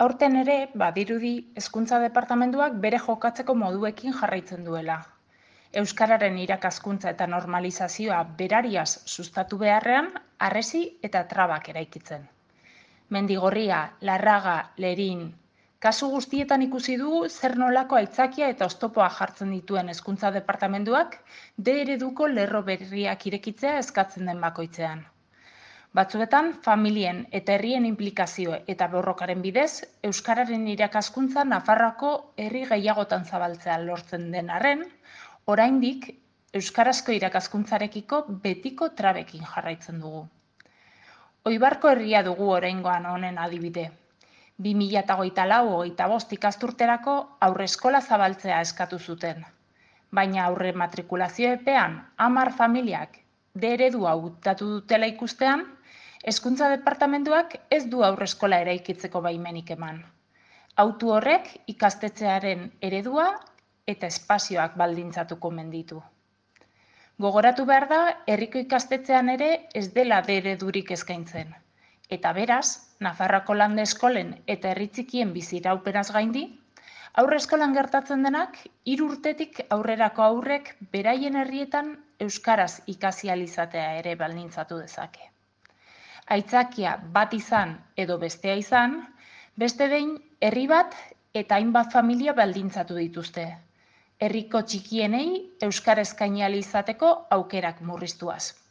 Aurten ere, badirudi, Hezkuntza Departamentuak bere jokatzeko moduekin jarraitzen duela. Euskararen irakaskuntza eta normalizazioa berariaz sustatu beharrean, harresi eta trabak eraikitzen. Mendigorria, Larraga, Lerin, kasu guztietan ikusi dugu zer nolako aitzakia eta oztopoa jartzen dituen Hezkuntza Departamentuak D ereduko lerro berriak irekitzea eskatzen den bakoitzean. Batzuetan, familien eta herrien inplikazio eta borrokaren bidez, euskararen irakaskuntza Nafarroako herri gehiagotan zabaltzea lortzen den arren, oraindik euskarazko irakaskuntzarekiko betiko trabekin jarraitzen dugu. Oibarko herria dugu oraingoan honen adibide. 2024-25 ikasturterako haurreskola zabaltzea eskatu zuten. Baina aurre matrikulazio epean 10 familiak D eredua hautatu dutela ikustean, Hezkuntza Departamentuak ez du haurreskola eraikitzeko baimenik eman. Hautu horrek ikastetxearen eredua eta espazioak baldintzatuko omen ditu. Gogoratu behar da, herriko ikastetxean ere ez dela D eredurik eskaintzen. Eta beraz, Nafarroako lande eskolen eta herri txikien biziraupenaz gaindi, haurreskolan gertatzen denak 3 urtetik aurrerako haurrek beraien herrietan euskaraz ikasi ahal izatea ere baldintzatu dezake. Aitzakia bat izan edo bestea izan, beste behin herri bat eta hainbat familia baldintzatu dituzte. Herriko txikienei euskara eskaini ahal izateko aukerak murriztuaz.